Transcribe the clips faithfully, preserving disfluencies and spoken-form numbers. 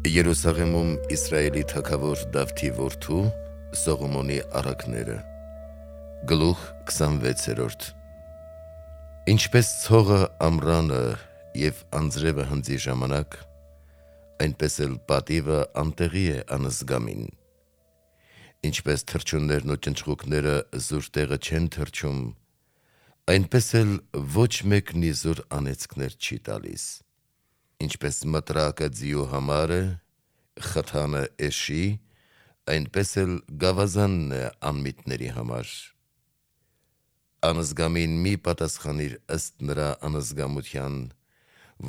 Երուսաղեմում Իսրայելի թագավոր Դավթի որդու Սողոմոնի առակները Գլուխ քսանվեցերորդ Ինչպես ցողը ամռանը և անձրևը հնձի ժամանակ, այնպես էլ պատիվը անտեղի է անզգամին։ Ինչպես թռչուններն ու ճնճղուկները զուր տեղը չեն թռչում, այնպես էլ ոչ մեկն իզուր անեծքներ չի տալիս։ Ինչպես մտրակը ձիու համար է, խթանը էշի, այնպես էլ գավազանն է անմիտների համար։ Անզգամին մի պատասխանիր ըստ նրա անզգամության,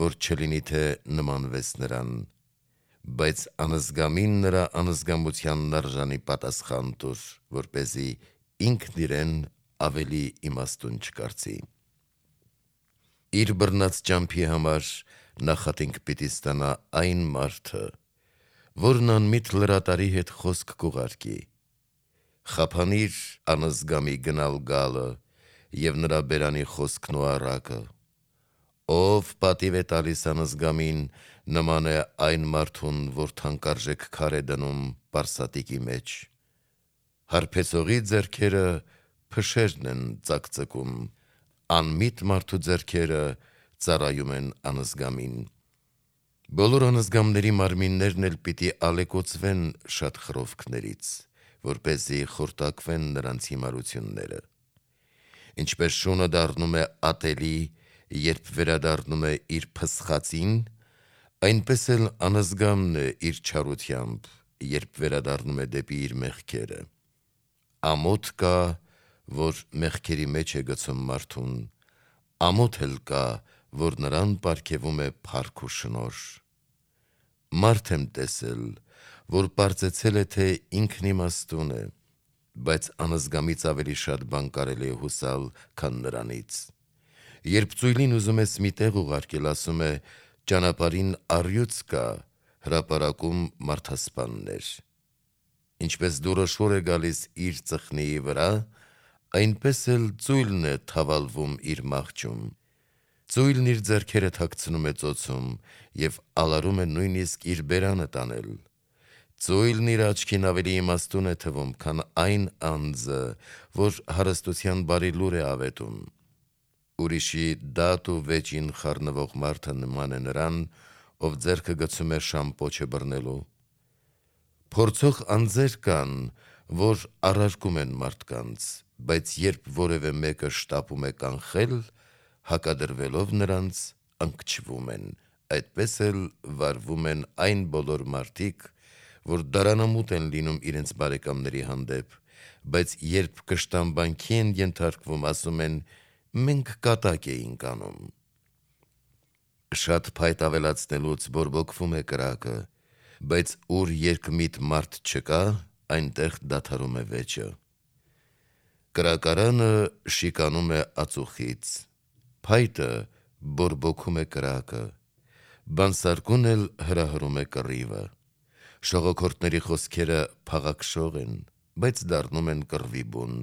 որ չլինի թե նմանվես նրան, բայց անզգամին նրա անզգամությանն արժանի պատասխան տուր, որպեսզի ինքն իրեն ավելի իմաստուն չկարծի։ Իր բռնած ճամփի համար նախատինք պիտի ստանա այն մարդը, որն անմիտ լրատարի հետ խոսք կուղարկի։ Խափանիր անզգամի գնալ գալը և նրա բերանի խոսքն ու առակը։ Ով պատիվ է տալիս անզգամին, նման է այն մարդուն, որ թանկարժեք քար է դնում պարսատիկի մեջ։ Հարբեցողի ձեռքերը փշերն են ծակծկում, անմիտ մարդու ձեռքերը ծառայում են անզգամին։ Բոլոր անզգամների մարմիններն էլ պիտի ալեկոծվեն շատ խռովքներից, որպեսզի խորտակվեն նրանց հիմարությունները։ Ինչպես շունը դառնում է ատելի, երբ վերադառնում է իր փսխածին, այնպես էլ անզգամն է իր չարությամբ, երբ վերադառնում է դեպի իր մեղքերը։ Ամոթ կա, որ մեղքերի մեջ է գցում մարդուն, ամոթ էլ կա, որ նրան պարգևում է փառք ու շնորհ։ Մարդ եմ տեսել, որ պարծեցել է, թե ինքն իմաստուն է, բայց անզգամից ավելի շատ բան կարելի է հուսալ, քան նրանից։ Երբ ծույլին ուզում ես մի տեղ ուղարկել, ասում է. ճանապարհին առյուծ կա, հրապարակում մարդասպաններ։ Ինչպես դուռը շոր է գալիս իր ծխնիի վրա, այնպես էլ ծույլն է թավալվում իր մահճում։ Ծույլն իր ձեռքերը թաքցնում է ծոցում և ալարում է նույնիսկ իր բերանը տանել։ Ծույլն իր աչքին ավելի իմաստուն է թվում, քան այն անձը, որ հարստության բարի լուր է ավետում։ Ուրիշի դատ ու վեճին խառնվող մարդը նման է նրան, ով ձեռքը գցում է շամպոչը բռնելու։ Փորձող անձեր կան, որ առարկում են մարդկանց, բայց երբ որևէ մեկը շտապում է կանխել, հակադրվելով նրանց, ընկճվում են, այդպես էլ վարվում են այն բոլոր մարդիկ, որ դարանամուտ են լինում իրենց բարեկամների հանդեպ, բայց երբ կշտամբանքի են ենթարկվում, ասում են. մենք կատակ էինք անում։ Շատ փայտ ավելացնելուց բորբոքվում է կրակը, բայց ուր երկմիտ մարդ չկա, այնտեղ դադարում է վեճը։ Կրակարանը շիկանում է ածուխից, փայտը բորբոքում է կրակը, բանսարկուն էլ հրահրում է կռիվը։ Շողոքորթների խոսքերը փաղաքշող են, բայց դառնում են կռվի բուն։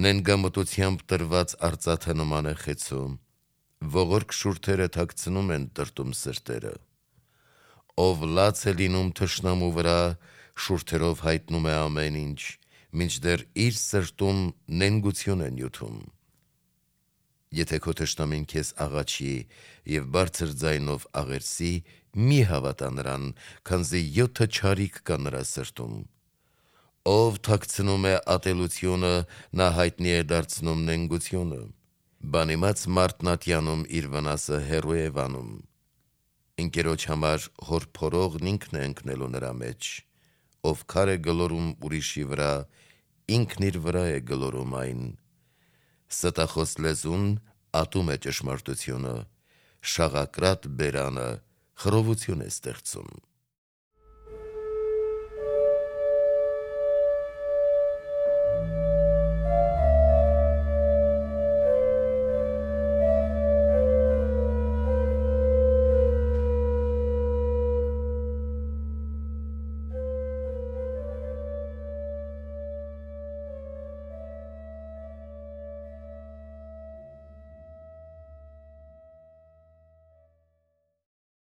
Նենգամտությամբ տրված արծաթը նման է խեցու, ողորկ շուրթերը թաքցնում են տրտում սրտերը։ Ով լաց է լինում թշնամու վրա, շուրթերով հայտնում է ամեն ինչ, մինչդեռ իր սրտում նենգություն է նյութում։ Եթե քո թշնամին քեզ աղաչի և բարձր ձայնով աղերսի, մի հավատա նրան, քանզի յոթը չարիք կա նրա սրտում։ Ով թաքցնում է ատելությունը, նա հայտնի է դարձնում նենգությունը։ Բանիմաց մարդն ատյանում իր վնասը հեռու է վանում։ Ընկերոջ համար հոր փորողն ինքն է ընկնելու նրա մեջ։ Ով քար է գլորում ուրիշի վրա, ինքն իր վրա է գլորում այն։ Ստախոս լեզուն ատում է ճշմարտությունը, շաղակրատ բերանը խռովություն է ստեղծում։